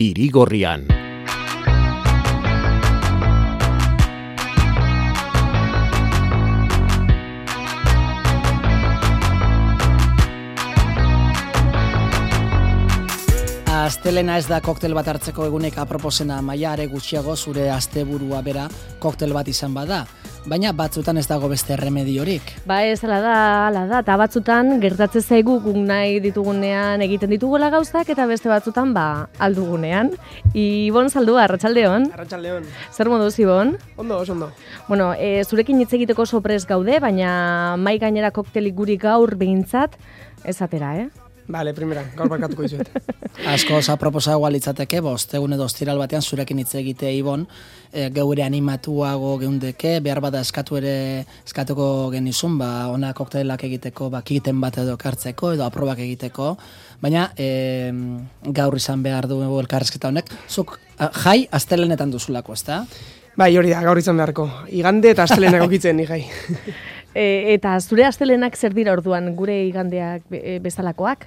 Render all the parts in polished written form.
Irigorrian. Astelena ez da koktel bat hartzeko egunek aproposena, Maia, are gutxiago zure asteburua bera koktel bat izan bada. Baina batzutan ez dago beste remediorik. Ba ez, ala da, eta batzutan gertatzen zaigu guk nahi ditugunean egiten ditugula gauzak, eta beste batzutan aldugunean. Ibon Zaldua, arratsaldeon. Arratsaldeon. Zer moduz, Ibon? Ondo. Bueno, zurekin hitz egiteko oso prest gaude, baina mai gainera koktelik guri gaur behintzat ez atera, Bale, primera, gaur barkatuko izuet. Asko aproposagoa litzateke, egun edo ostiral batean zurekin hitz egitea, Ibon, geure animatuago geundeke, behar bada eskatuko genizun, ona koktelak egiteko, kiten bat edo kartzeko, edo aprobak egiteko, baina gaur izan behar du elkarrezketa honek, zuk jai astelenetan duzulako, ezta? Bai, hori da, gaur izan beharko. Igande eta astelenak okitzen ni jai. Eta zure astelenak zer dira orduan, gure igandeak bezalakoak?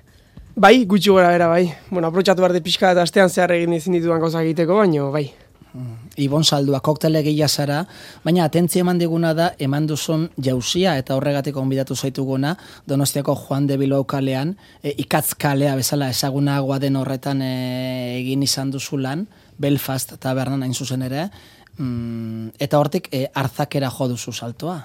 Bai, gutxi gora bera, bai. Bueno, aprotxatu behar de pixka eta astean zehar egin ezin ditudan gauza egiteko, baino, bai. Ibon Zaldua, koktele gila zara, baina atentzia eman diguna da, eman duzun jauzia eta horregatik onbidatu zaituguna, Donostiako Juan de Bilbao kalean, ikatzkalea bezala ezagunagoa den horretan egin izan duzu lan, Belfast tabernan hain zuzen ere, eta hortik artzakera jo duzu saltoa.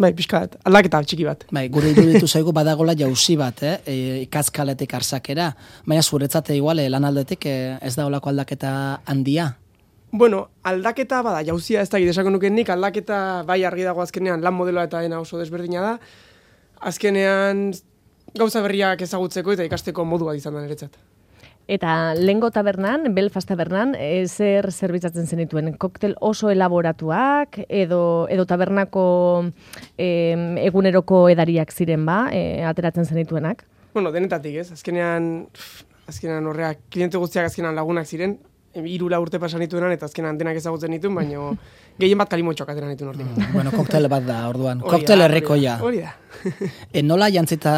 Bai, pixkat, aldaketa txiki bat. Bai, gure iruditu zaigu badagola jauzi bat, ikatzkaletik arzakera, baina zuretzat igual lan aldetik ez da olako aldaketa handia? Bueno, aldaketa bada, jauzia ez da gidesako nuken nik, aldaketa bai argi dago azkenean lan modeloa eta dena oso desberdina da, azkenean gauza berriak ezagutzeko eta ikasteko modu bat izan da niretzat. Eta lehengo tabernan, Belfast tabernan, zer zerbitzatzen zenituen? Koktel oso elaboratuak edo tabernako eguneroko edariak ziren ateratzen zenituenak? Bueno, denetatik ez, azkenean horreak, kliente guztiak azkenean lagunak ziren, 3 urte pasan nituenan eta azkenan denak ezagutzen nituen, baino gehien bat kalimotxoak atera nituen hortik. Bueno, koktel bat da, orduan. Koktel herrikoia. Hori da. Nola jantzita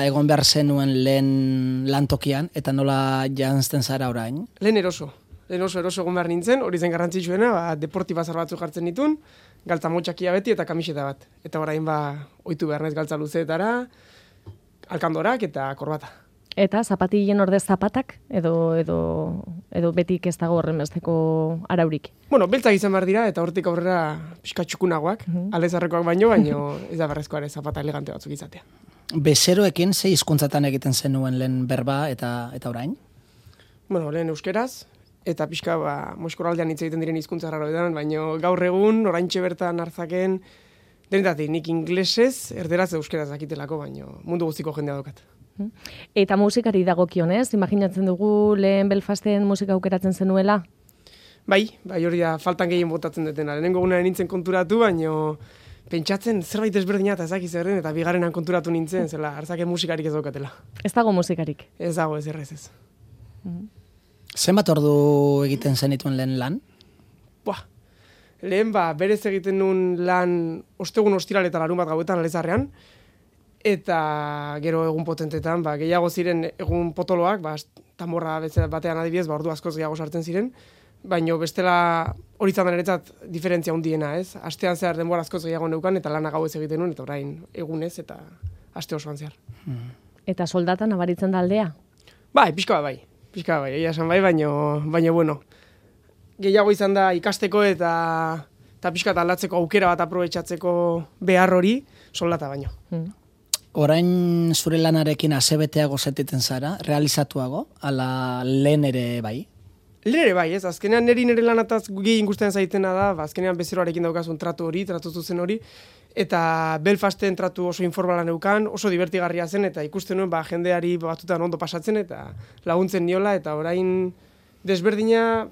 egon behar zenuen lehen lantokian, eta nola jantzten zara orain? Lehen eroso egon behar nintzen, hori zen garrantzitsuena, deporti bazar batzu jartzen nituen, galtza motxakia beti eta kamiseta bat. Eta orain ohitu behar naiz galtza luzeetara, alkandorak eta korbata. Eta zapatillen ordez zapatak edo betik ez dago horren besteko araurik? Bueno, beltzak izan behar dira eta hortik aurrera pixka txukunagoak, aldezarrekoak baino ez da berrezkoa ere zapata elegante batzuk izatea. Bezeroekin ze hizkuntzatan egiten zenuen lehen berba eta orain? Bueno, lehen euskeraz eta pixka Moskoraldean hitz egiten diren hizkuntza raroetan, baino gaur egun oraintxe bertan hartzaken denetatik nik inglesez, erderaz euskeraz dakitelako, baino mundu guztiko jendea daukat. Eta musikari dagokionez, imaginatzen dugu lehen Belfasten musika aukeratzen zenuela? Bai, hori da, faltan gehien botatzen dutena. Lehenengo gunean nintzen konturatu, baino pentsatzen zerbait ezberdina eta ezakiz erren, eta bigarrenan konturatu nintzen, zela, hartzake musikarik ez daukatela. Ez dago musikarik? Ez dago, ez errez ez. Zenbat ordu egiten zenituen lehen lan? Lehen berez egiten nuen lan ostegun ostiral eta larun bat gauetan Alezarrean, eta gero egun potentetan, gehiago ziren egun potoloak, tamborra batean adibidez, ordu askoz gehiago sartzen ziren, baino bestela hori izan da niretzat diferentzia handiena, ez? Astean zehar denbora askoz gehiago neukan, eta lana gauez egiten nuen, eta orain egunez, eta aste osoan zehar. Eta soldatan nabaritzen da aldea? Pixka bai, egia esan baino bueno. Gehiago izan da ikasteko eta pixka aldatzeko aukera bat aprobetxatzeko behar hori soldata baino. Orain zure lanarekin asebeteago sentitzen zara, realizatuago, ala lehen ere bai? Lehen ere bai, ez? Azkenean nire lanataz gehien gustatzen zaitena da, azkenean bezeroarekin daukazun tratu zuzen hori, eta Belfasten tratu oso informala neukan, oso divertigarria zen, eta ikusten nuen jendeari batutan ondo pasatzen, eta laguntzen niola, eta orain desberdina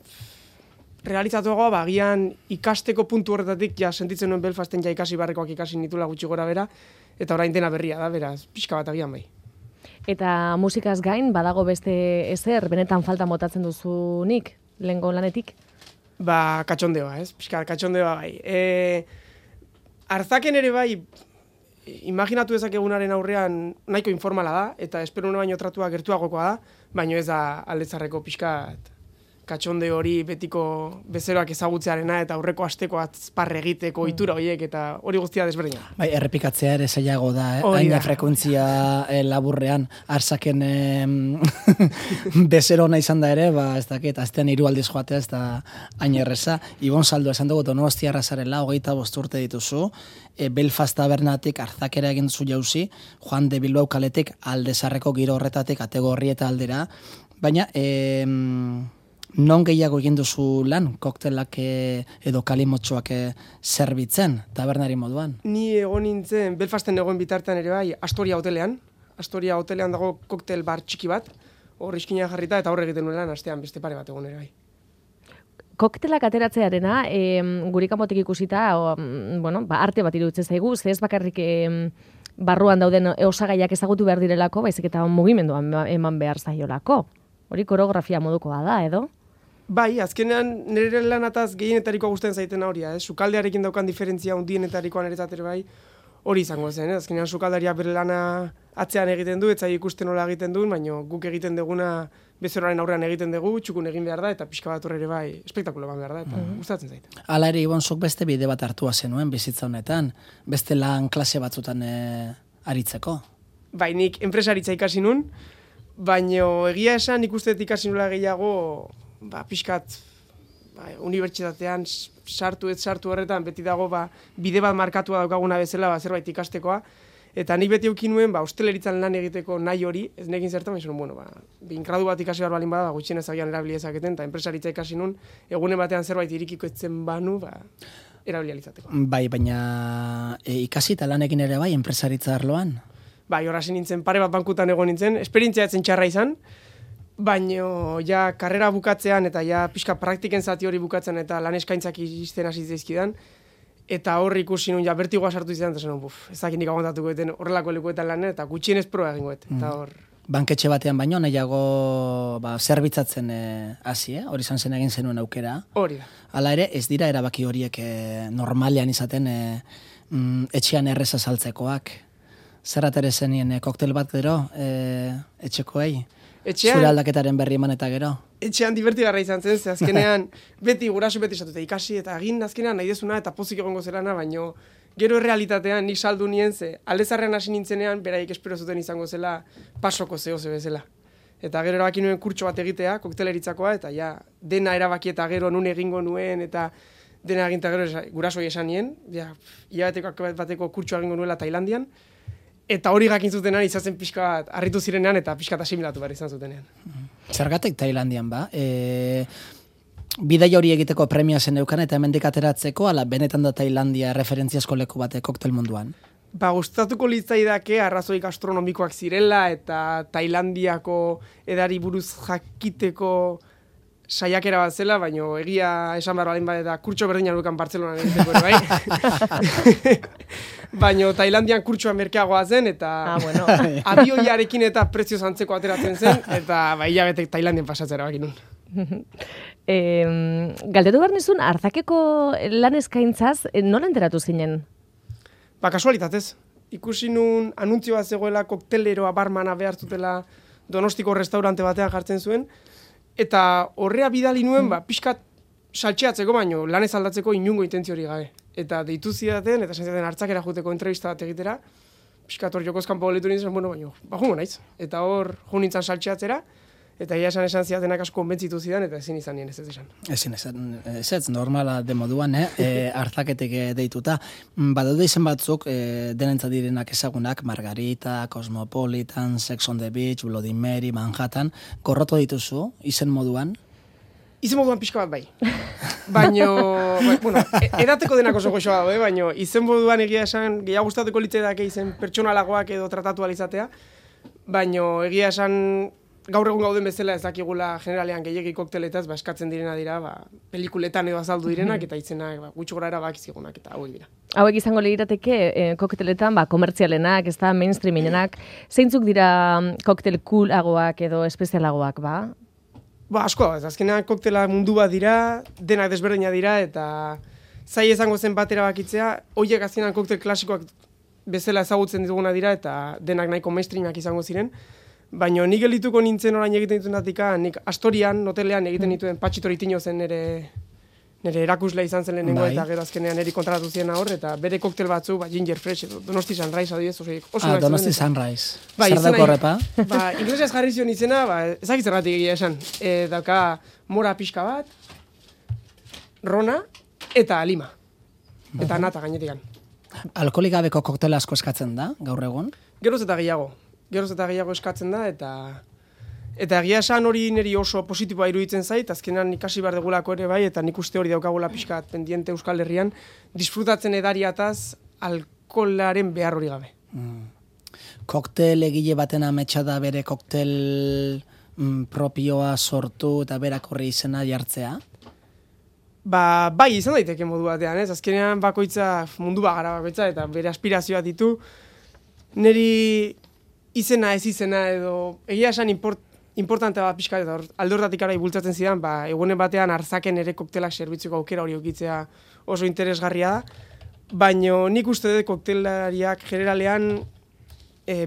realizatuagoa, agian ikasteko puntu horretatik sentitzen nuen Belfasten ikasi barrekoak ikasi nitula gutxi gora bera, eta orain dena berria da, beraz, pixka bat agian bai. Eta musikaz gain, badago beste ezer, benetan falta motatzen duzunik, lehengo lanetik? Katxondeoa, ez? Pixka, katxondeoa bai. Arzaken ere bai, imaginatu dezakegunaren aurrean nahiko informala da, eta espero baino tratua gertuagokoa da, baino ez da aldezarreko pixkat katxonde hori betiko bezeroak ezagutzearena eta aurreko asteko azparre egiteko ohitura horiek eta hori guztia desberdina. Bai, errepikatzea ere zailago da, haina frekuentzia laburrean, arsaken bezero ona izan da ere, ez dakit, aztean 3 aldiz joatea ez da hain erreza. Ibon Saldo, esan dugu Donostiarra zarela, 25 urte dituzu, Belfast tabernatik Arzakera egin duzu jauzi, Juan de Bilbao kaletik Aldezarreko giro horretatik kategoria eta aldera, baina non gehiago egin duzu lan, koktelak edo kalimotxoak zerbitzen, tabernari moduan? Ni egon nintzen, Belfasten egon bitartean ere bai, Astoria hotelean. Astoria hotelean dago koktel bar txiki bat, hor iskina jarrita eta horre egiten nuen lan, astean beste pare bat egon ere bai. Koktelak ateratzearena, gurikamotik ikusita, arte bat iruditzen zaigu, ze ez bakarrik barruan dauden osagaiak ezagutu behar direlako, baizik eta mugimenduan eman behar zaiolako. Hori koreografia modukoa da, edo? Bai, azkenean nire lanataz gehienetarikoa gustatzen zaitena hori, sukaldearekin daukan diferentzia hundienetarikoan ere bai, hori izango zen, azkenean sukaldaria bere lana atzean egiten du, etzai ikusten nola egiten duen, baina guk egiten duguna bezeroaren aurrean egiten dugu, txukun egin behar da, eta pixka bat ere bai, espektakulo behar da, eta gustatzen zait. Hala ere, Ibon, zuk beste bide bat hartua zenuen bizitza honetan, beste lan klase batzutan aritzeko? Bai, nik enpresaritza ikasi nun, baina egia esan ikusten ikasi nula gehiago, pixkat, unibertsitatean sartu horretan, beti dago bide bat markatua daukaguna bezala, zerbait ikastekoa, eta nik beti eukin nuen, hosteleritzan lan egiteko nahi hori, ez nekin zertan, gradu bat ikasi behar balin bada, gutxien ezagian erabiliezaketen, eta enpresaritza ikasi nun, egunen batean zerbait irikiko etzen banu, erabilializateko. Bai, baina ikasi eta lanekin ere bai, enpresaritza arloan? Bai, horrasin nintzen, pare bat bankutan egon nintzen, esperientzia etzen txarra izan, baina ja karrera bukatzean eta ja pixka praktiken zati hori bukatzen eta lan eskaintzak izten hasi zaizkidan, eta hor ikusi nun ja bertigoa sartu izan, eta zen, ezakin nik aguantatuko eten horrelako lekuetan lan, eta gutxienez proa egingoet, eta hor... Banketxe batean baino, nahiago zerbitzatzen hasi, hori izan zen egin zenuen aukera. Hori da. Hala ere, ez dira erabaki horiek normalean izaten etxean erreza saltzekoak. Zerrat ere zenien koktel bat gero, etxekoei? Zure aldaketaren berri eman eta gero? Etxean divertigarra izan zen, ze azkenean guraso beti esatu eta ikasi, eta egin azkenean nahi dezuna eta pozik egongo zelana, baino gero realitatean nik saldu nien ze, aldezarrean hasi nintzenean, beraik espero zuten izango zela pasoko zehose bezala. Eta gero erabaki nuen kurtso bat egitea, kokteleritzakoa, eta ja, dena erabaki eta gero nun egingo nuen, eta dena eginta gero gurasoi esan nien, ja, hilabeteko bateko kurtso egingo nuela Tailandian, eta hori gakin zutenean izazen pixka bat harritu zirenean eta pixka eta asimilatu behar izan zutenean. Zergatik Tailandian ba? Bidai hori egiteko premia zen eukan eta hemendik ateratzeko, ala benetan da Tailandia referentziazko leku bate koktel munduan? Gustatuko litzaidake arrazoi gastronomikoak zirela eta Tailandiako edari buruz jakiteko saiakera bat zela, baina egia esan behar balin bat eta kurtso berdina dukan Bartzelonan egiteko bai. Baina Tailandian kurtsoa merkeagoa zen eta abioiarekin eta prezio zantzeko ateratzen zen eta hilabetek Tailandian pasatzera bakin nun. Galdetu behar nizun, Arzakeko lan eskaintzaz, nola enteratu zinen? Kasualitatez. Ikusi nun anuntzioa zegoela kokteleroa barmana behar zutela Donostiko restaurante batean jartzen zuen, eta horrea bidali nuen, pixkat saltxeatzeko baino, lanez aldatzeko inungo intentzio hori gabe. Eta deitu zidaten, eta esan zidaten Hartzakera juteko entrevista bat egitera, pixkat hor jokozkan pauletu nintzen, baino, jungo naiz. Eta hor jo nintzen saltxeatzera, eta ia esan zidatenak asko konbentzitu zidan, eta ezin izan nien ez esan. Ez normala de moduan, Hartzaketek deituta. Badaude izen batzuk, denentzat direnak ezagunak, Margarita, Cosmopolitan, Sex on the Beach, Bloody Mary, Manhattan, gorroto dituzu, izen moduan? Izen moduan pixka bat bai. Baina, edateko denak oso goxoa dago, baina izen moduan egia esan, gehiago gustatuko litzaidak izen pertsonalagoak edo tratatu alizatea, baina egia esan, gaur egun gauden bezala ez dakigula generalean gehiegi kokteletaz, eskatzen direna dira, pelikuletan edo azaldu direnak, eta itzenak gutxo gora erabakizigunak, eta hauek dira. Hauek izango lirateke kokteletan, komertzialenak, ez da mainstreamenak, zeintzuk dira koktel coolagoak edo espezialagoak, ba? Asko, azkenean koktela mundu bat dira, denak desberdina dira, eta zai izango zen bat erabakitzea, horiek azkenean koktel klasikoak bezala ezagutzen dituguna dira, eta denak nahiko mainstreamak izango ziren, Baina nik gelituko nintzen orain egiten dituenatik, nik Astorian, hotelean egiten dituen Patxito Ritino zen nire erakusle izan zen lehenengo, eta gero azkenean niri kontratatu ziena hor, eta bere koktel batzu, Ginger Fresh, edo Donosti Sunrise adibidez, oso Donosti Sunrise. Zer dako horrepa? Inglesez jarri zion izena, ezakit zergatik egia esan. Dauka mora pixka bat, rona, eta lima. Eta nata gainetikan. Alkoholik gabeko koktela asko eskatzen da, gaur egun? Geroz eta gehiago eskatzen da, eta egia esan hori niri oso positiboa iruditzen zait, azkenan ikasi behar degulako ere bai, eta nik uste hori daukagula pixkat pendiente Euskal Herrian, disfrutatzen edariataz alkoholaren behar hori gabe. Koktel egile baten ametsa da bere koktel propioa sortu eta berak horri izena jartzea? Bai, izan daiteke modu batean, ez? Azkenean bakoitza, mundu bagara bakoitza, eta bere aspirazioa ditu. Neri izena ez izena edo, egia esan importante bat pixka, eta alde hortatik ara ibultzatzen zidan, egunen batean arzaken ere koktelak zerbitzuko aukera hori okitzea oso interesgarria da. Baina nik uste dut koktelariak generalean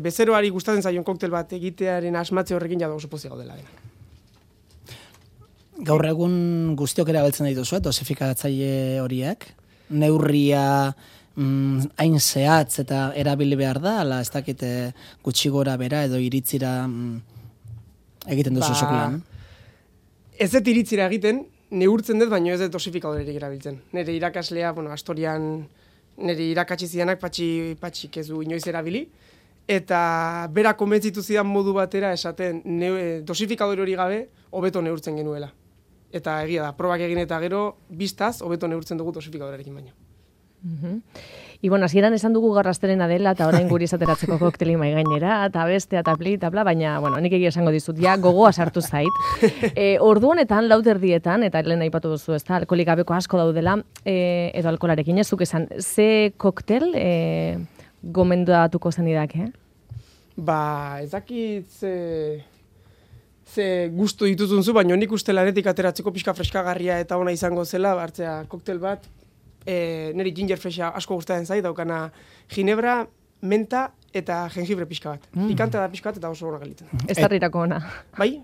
bezeroari gustatzen zaion koktel bat egitearen asmatze horrekin jada oso pozik gaudela dena. Gaur egun guztiok erabiltzen dituzu, dosifikatzaile horiek, neurria hain zehatz eta erabili behar da, ala ez dakite gutxi gora bera edo iritzira egiten duzu zuk lan? Ez dut iritzira egiten, neurtzen dut, baina ez dut dosifikadorerik erabiltzen. Nire irakaslea, Astorian nire irakatsi zidanak patxik ez du inoiz erabili, eta bera konbentzitu zidan modu batera esaten dosifikadore hori gabe hobeto neurtzen genuela. Eta egia da, probak egin eta gero, biztaz, hobeto neurtzen dugu dosifikadorekin baino. Ibon, hasieran esan dugu gaur astelena dela, eta orain guri esateratzeko kokteli mai gainera, eta bestea, eta pli, eta bla, baina, nik egia esango dizut, ja, gogoa sartu zait. Ordu honetan, 4:00, eta lehen aipatu duzu, ez da, alkoholik gabeko asko daudela, edo alkoholarekin, ezuk esan, ze koktel gomendatuko zenidak, Ez dakit ze gustu dituzun zu, baina nik uste lanetik ateratzeko pixka freskagarria eta ona izango zela, hartzea koktel bat, niri Ginger Fresha asko gustatzen zait, daukana ginebra, menta eta jengibre pixka bat. Pikante da pixka bat eta oso ona gelitzen. Estarrirako ona. Bai.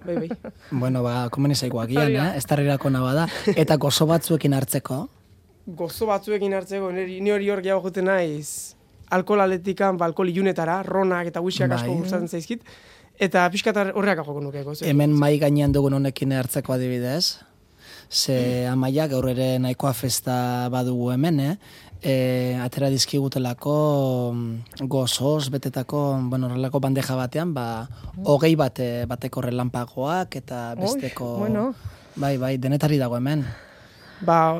Bueno, komeni zaiko agian, estarrirako ona bada. Eta gozo batzuekin hartzeko? Gozo batzuekin hartzeko, ni hori hor gehiago juten naiz, alkohol aletikan, alkohol ilunetara, ronak eta whiskyak asko gustatzen zaizkit. Eta pixkat horreak joko nuke. Hemen mai gainean dugun honekin hartzeko adibidez. Ze amaia gaur ere nahikoa festa badugu hemen, atera dizkigutelako gozoz betetako, horrelako bandeja batean, 20 bateko relanpagoak eta besteko... Bai, denetari dago hemen.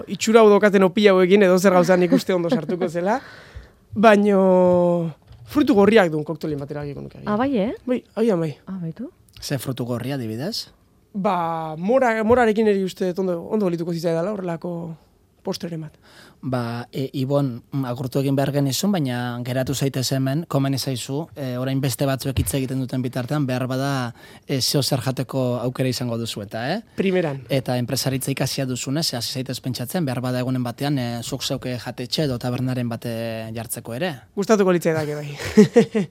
Itxura udokaten opila hauekin edo zer gauzan ikuste ondo sartuko zela, baino... Frutu gorriak duen koktelin batera egiko nuke. Bai, Bai, bai. Baitu? Ze frutu gorria, adibidez? Morarekin eri uste ondo gelituko zitzaidala horrelako postreren bat. Ibon, agurtu egin behar genizun, baina geratu zaitez hemen, komeni zaizu, orain beste batzuek hitz egiten duten bitartean, behar bada zeo zer jateko aukera izango duzu eta, Primeran. Eta enpresaritza ikasia duzunez, hasi zaitez pentsatzen, behar bada egunen batean, zuk zeuke jatetxe edo tabernaren bate jartzeko ere. Gustatuko litzaidak bai.